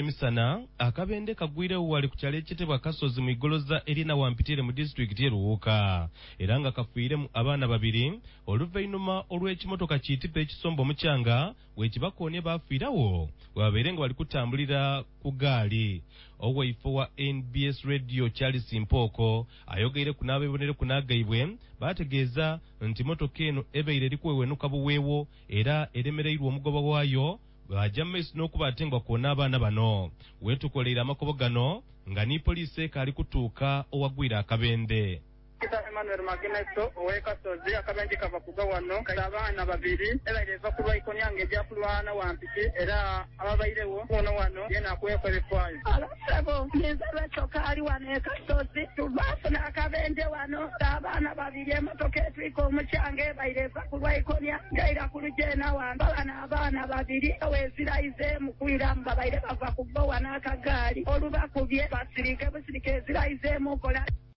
Emisana akabende kagwirewo wali ku kyalo ekyetebwa Kasozi mu igoloza erina Wampitire mu disitulikiti ye Luuka, era nga kafiiremu abaana babiri oluvainuma olw'ekimotoka kiitipa ekisomba omukyanga wekibakoonye bafiirawo webabeire nga bali kutambulira ku gaali. Owaifo wa NBS Radio Charles Mpooko ayogeireku n'abebonereku n'agaibwe bategeeza nti motoka eno ebaire eri kuwewenuka buweewo era eremereirwe omugoba waayo baja mu maiso n'okuba ate nga bakoona abaana bano. Wetukoleire amakobo gano nga ni poliisi ekaali kutuuka owagwire akabende. Peter Emmanuel Magineso ow'e Kasozi, akabenje kava kugwa wano kaita abaana babiri ebaire eva ku lwaikonia nga eja kulwana Wampiti era ababairewo kuno wano yeena akuweeku ebifaayo. Abasebo, ninze Rachel Kaali wano e Kasozi. Tuvafuna akabenje wano abaana babiri, emotoka etwika omukyanga ebaire eva ku lwaikonia ngaira ku lujeena wano. Babano abaana babiri oweziraizeemu kwiramu babaire bava ku bowa n'akagaali olubakubye basirike busirike eziraizeemu kola.